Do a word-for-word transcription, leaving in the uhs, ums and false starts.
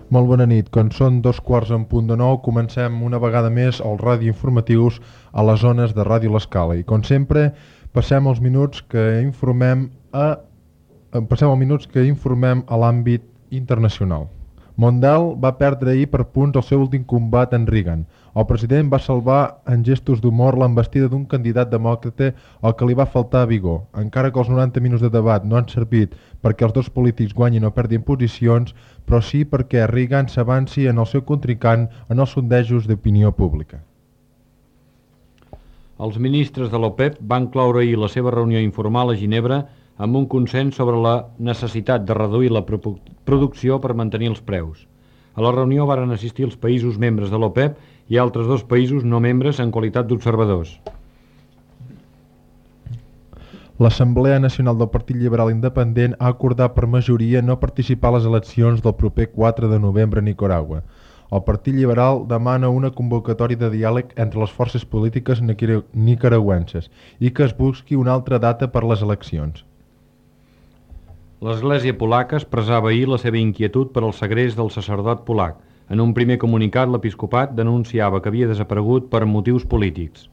Molt bona nit. Quan són dos quarts en punt de nou, comencem una vegada més els radioinformatius a les zones de Ràdio L'Escala. I com sempre, passem els minuts que informem a passem els minuts que informem a l'àmbit internacional. Mondale va perdre ahir per punts el seu últim combat en Reagan. El president va salvar en gestos d'humor l'embestida d'un candidat demòcrata al que li va faltar vigor. Encara que els noranta minuts de debat no han servit perquè els dos polítics guanyin o perdin posicions, però sí perquè Reagan s'avanci en el seu contrincant en els sondejos d'opinió pública. Els ministres de l'OPEP van cloure ahir la seva reunió informal a Ginebra amb un consens sobre la necessitat de reduir la producció per mantenir els preus. A la reunió varen assistir els països membres de l'OPEP i altres dos països no membres en qualitat d'observadors. L'Assemblea Nacional del Partit Liberal Independent ha acordat per majoria no participar a les eleccions del proper quatre de novembre a Nicaragua. El Partit Liberal demana una convocatòria de diàleg entre les forces polítiques nicaragüenses i que es busqui una altra data per les eleccions. L'Església polaca expressava ahir la seva inquietud per al segrest del sacerdot polac. En un primer comunicat, l'episcopat denunciava que havia desaparegut per motius polítics.